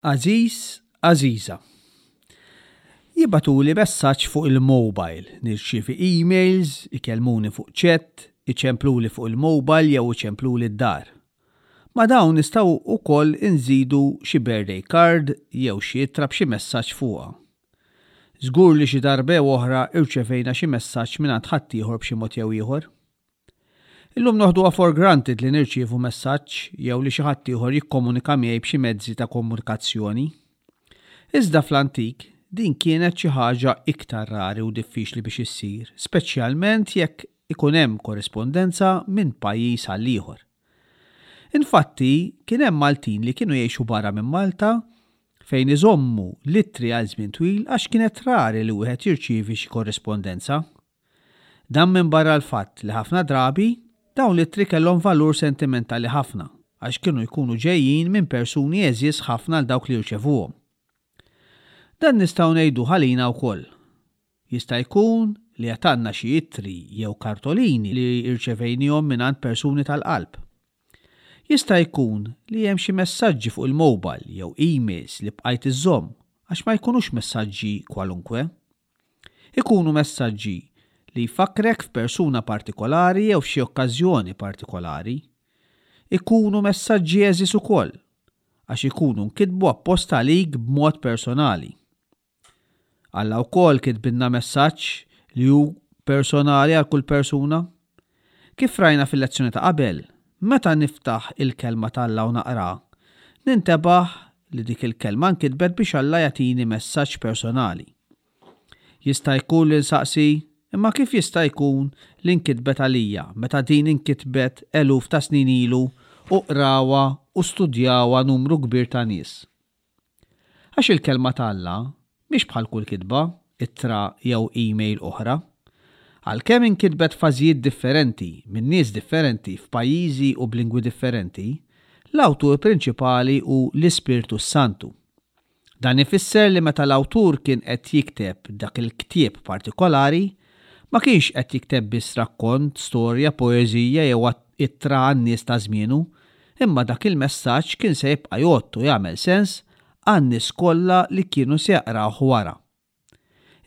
Għażiż, għażiża. Jibagħtuli messaġġ fuq il-mobile, nirċievi emails, ikellmuni fuq chat, iċempluli fuq il-mobile jew iċempluli d-dar. Ma' dawn nistgħu wkoll inżidu xi birthday card jew xi ittra b'xi messaġġ fuqha. Żgur li xi darba jew oħra irċevejna xi messaġġ mingħand ħaddieħor b'xi mod jew ieħor. Illum noħduha for granted li nirċievu messaġġ jew li xi ħaddieħor jikkomunika miegħi b'xi mezzi ta' komunikazzjoni. Iżda fl-antik, din kienet xi ħaġa iktar rari u diffiċli biex issir, speċjalment jekk ikun hemm korrispondenza minn pajjiż għal ieħor. Infatti, kien hemm Maltin li kienu jgħixu barra minn Malta fejn iżommu l-ittri għal żmien twil għax kienet rari li wieħed jirċievi xi korrispondenza. Dan minbarra l-fatt li ħafna drabi, dawn l-ittri kellhom valur sentimentali ħafna għax kienu jkunu ġejjin minn persuni għeżież ħafna għal dawk li jirċevuhom. Dan nistgħu ngħiduh għalina wkoll. Jista' jkun li għad għandna xi ittri jew kartolini li rċevejniehom mingħand persuni tal-qalb. Jista' jkun li hemm xi messaġġi fuq il-mobile jew emails li bqajt iżżomm għax ma jkunux messaġġi kwalunkwe. Ikunu messaġġi li jfakkrek f'persuna partikolari jew f'xi okkażjoni partikolari. Ikunu messaġġi għeżież ukoll, għax ikunu nkitbu apposta għalik b'mod personali. Alla wkoll kitbilna messaġġ li hu personali għal kull persuna. Kif rajna fil-lezzjoni ta' qabel, meta niftaħ il-Kelma t'Alla u naqraha, nintebaħ li dik il-kelma nkitbet biex Alla jagħtini messaġġ personali. Jista' jkun li nsaqsi, 'Imma kif jista' jkun li nkitbet għalija meta din inkitbet eluf ta' snin ilu u qrawha u studjawha numru kbir ta' nies? Għax il-Kelma ta' Alla mhix bħal kull kitba, ittra jew email oħra. Għalkemm inkitbet f'fażijiet differenti minn nies differenti f'pajjiżi u b'lingwi differenti, l-awtur prinċipali hu l-Ispirtu s-Santu. Dan ifisser li meta l-awtur kien qed jikteb dak il-ktieb partikolari, ma kienx qed jikteb biss rakkont, storja, poeżija jew ittra għan-nies ta' żmienu, imma dak il-messaġġ kien se jibqa' jgħodd u jagħmel sens għan-nies kollha li kienu se jaqrawh wara.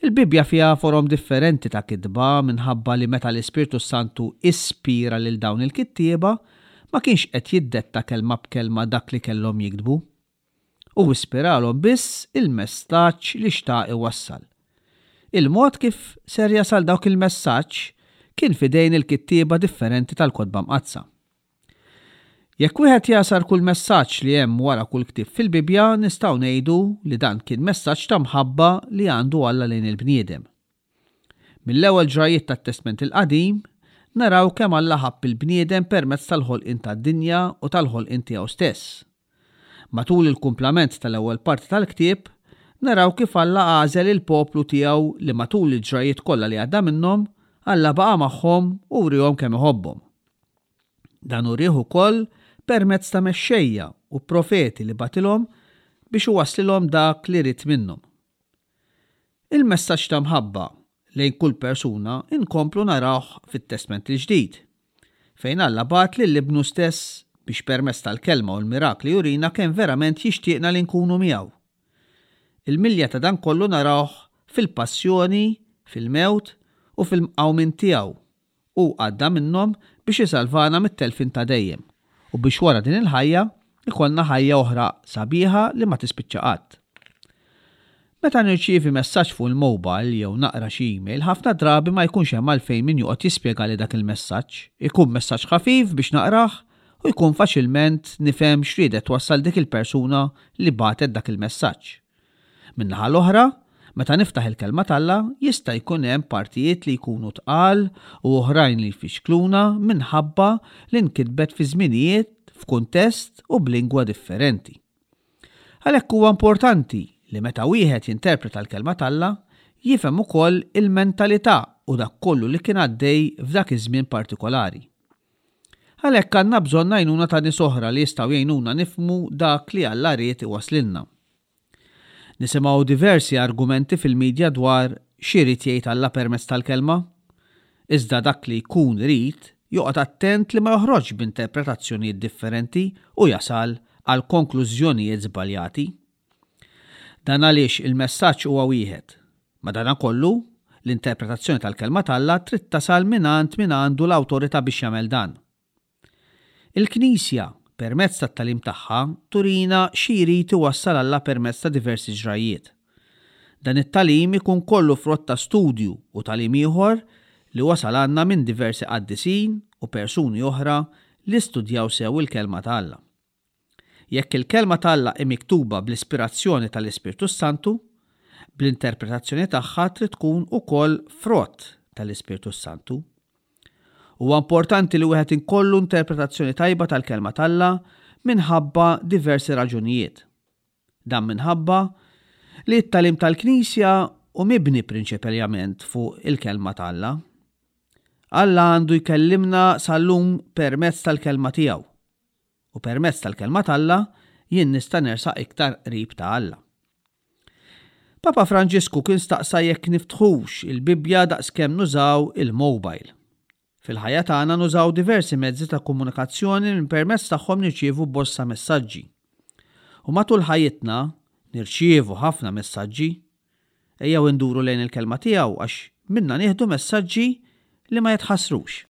Il-Bibbja fiha forom differenti ta' kitba minħabba li meta l-Ispirtu s-Santu ispira lil dawn il-kittieba, ma kienx qed jiddetta kelma b'kelma dak li kellhom jiktbu. Hu ispiralhom biss il-messaġġ li xtaq iwassal. Il-mod kif ser jasal dawk il-messaġġ kien f'idejn il-kittieba differenti tal-Kotba Mqaddsa. Jekk wieħed jagħsar kull messaġġ li hemm wara kull ktieb fil-Bibbja, nistgħu ngħidu li dan kien messaġġ ta' mħabba li għandu Alla lejn il-bniedem. Mill-ewwel ġrajjiet tat-Testment il-Qadim, naraw kemm Alla ħabb il-bniedem permezz tal-ħolqien tad-dinja u tal-ħolqien tiegħu stess. Matul il-kumplament tal-ewwel parti tal-ktieb, naraw kif Alla għażel il-poplu tiegħu li matul il-ġrajjiet kollha li għadda minnhom, Alla baqa' magħhom u wriehom kemm iħobbhom. Dan urieh ukoll permezz ta' mexxejja u profeti li bagħtilhom biex iwasslilhom dak li ried minnhom. Il-messaġġ ta' mħabba lejn kull persuna nkomplu narawh fit-Testment il-Ġdid, fejn Alla bagħat lil Ibnu stess biex permezz tal-kelma u l-mirakli jurina kemm verament jixtieqna li nkunu miegħu. Il-milja ta' dan kollu narawh fil-passjoni, fil-mewt u fil-qawmien tiegħu Hu għadda minnhom biex isalvana mit-telfien ta' dejjem u biex wara din il-ħajja jkollna ħajja oħra sabiħa li ma tispiċċa qatt. Meta nirċievi messaġġ fuq il-mobile jew naqra xi email ħafna drabi ma jkunx hemm għalfejn min joqgħod jispjegali dak il-messaġġ. Ikun messaġġ ħafif biex naqrah u jkun faċilment nifhem x'riedet twassal dik il-persuna li bagħtet dak il-messaġġ. Min-naħa l-oħra, meta niftaħ il-Kelma t'Alla, jista' jkun hemm partijiet li jkunu tqal u oħrajn li jfixkluna minħabba li nkitbet fi żminijiet, f'kuntest u b'lingwa differenti. Għalhekk huwa importanti li meta wieħed jinterpreta l-Kelma t'Alla, jifhem ukoll il-mentalità u dak kollu li kien għaddej f'dak iż-żmien partikolari. Għalhekk għandna bżonn għajnuna ta' nies oħra li jistgħu jgħinuna nifhmu dak li Alla ried iwasslilna. Nisimgħu diversi argumenti fil-midja dwar x'irid jgħid Alla permezz tal-Kelma. Iżda dak li jkun irid joqgħod attent li ma joħroġx b'interpretazzjonijiet differenti u jasal għal konklużjonijiet żbaljati. Dan għaliex il-messaġġ huwa wieħed. Madankollu, l-interpretazzjoni tal-Kelma t'Alla trid tasal mingħand min għandu l-awtorità biex jagħmel dan. Il-Knisja, permezz tat-tagħlim tagħha, turina xi jrid iwassal Alla permezz ta' diversi ġrajjiet. Dan it-tagħlim ikun kollu frott ta' studju u tagħlim ieħor li wasal għandna minn diversi qaddisin u persuni oħra li studjaw sew il-Kelma ta' Alla. Jekk il-Kelma ta' Alla hi miktuba bl-ispirazzjoni tal-Ispirtu s-Santu, bl-interpretazzjoni tagħha trid tkun ukoll frott tal-Ispirtu s-Santu. Huwa importanti li wieħed inkollu interpretazzjoni tajba tal-Kelma t'Alla minħabba diversi raġunijiet. Dan minħabba li t-tagħlim tal-Knisja hu mibni prinċipaljament fuq il-Kelma ta' Alla. Alla għandu jkellimna sal-lum permezz tal-Kelma tiegħu. U permezz tal-Kelma t'Alla jien nista' nersaq iktar qrib ta' Alla. Papa Franġisku kien staqsa jekk niftħux il-Bibbja daqskemm nużaw il-mobile. Fil-ħajja tagħna nużaw diversi mezzi ta' komunikazzjoni li permezz tagħhom nirċievu bosta messaġġi. U matul ħajjitna nirċievu ħafna messaġġi. Ejjew induru lejn il-Kelma tiegħu għax minnha nieħdu messaġġi li ma jitħassrux.